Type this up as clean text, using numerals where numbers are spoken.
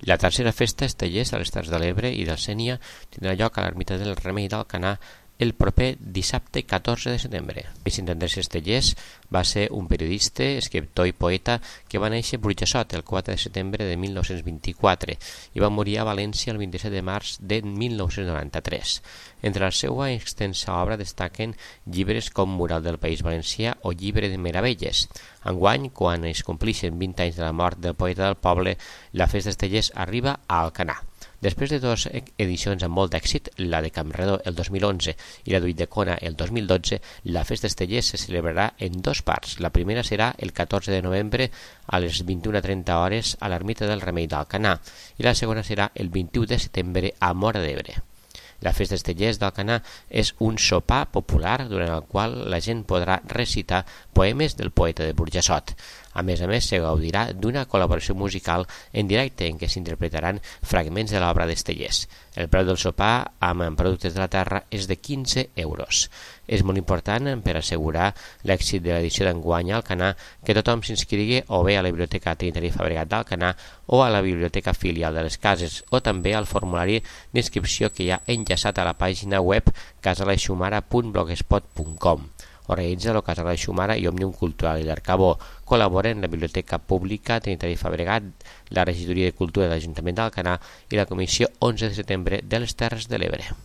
La tercera festa Estellers a les Terres de l'Ebre i del Sénia tindrà lloc a l'ermita del Remei d'Alcanar el proper dissabte 14 de setembre. Vicent Andrés Estellers va ser un periodista, escriptor i poeta que va néixer a Burjassot el 4 de setembre de 1924 i va morir a València el 27 de març de 1993. Entre la seva extensa obra destaquen llibres com Mural del País Valencià o Llibre de Meravelles. Enguany, quan es complixen 20 anys de la mort del poeta del poble, la festa d'Estellers arriba a Alcanar. Després de dues edicions amb molt d'èxit, la de Campredó el 2011 i la d'Ulldecona el 2012, la festa d'Estellers se celebrarà en dues parts. La primera serà el 14 de novembre a les 21:30 hores a l'ermita del Remei d'Alcanar i la segona serà el 21 de setembre a Móra d'Ebre. La festa d'Estellers d'Alcanar és un sopar popular durant el qual la gent podrà recitar poemes del poeta de Burjassot. A més, se gaudirà d'una col·laboració musical en directe en què s'interpretaran fragments de l'obra d'Estellers. El preu del sopar amb productes de la terra és de 15 euros. És molt important per assegurar l'èxit de l'edició d'enguany a Alcanar que tothom s'inscrigui o bé a la Biblioteca Trinitari Fabregat d'Alcanar o a la Biblioteca Filial de les Cases o també al formulari d'inscripció que hi ha enllaçat a la pàgina web casaleixumara.blogspot.com. Organitza el Casal Aixumara i Òmnium Cultural i l'Arcabó. Col·laboren la Biblioteca Pública Trinitari Fabregat, la Regidoria de Cultura de l'Ajuntament d'Alcanar i la Comissió 11 de setembre de les Terres de l'Ebre.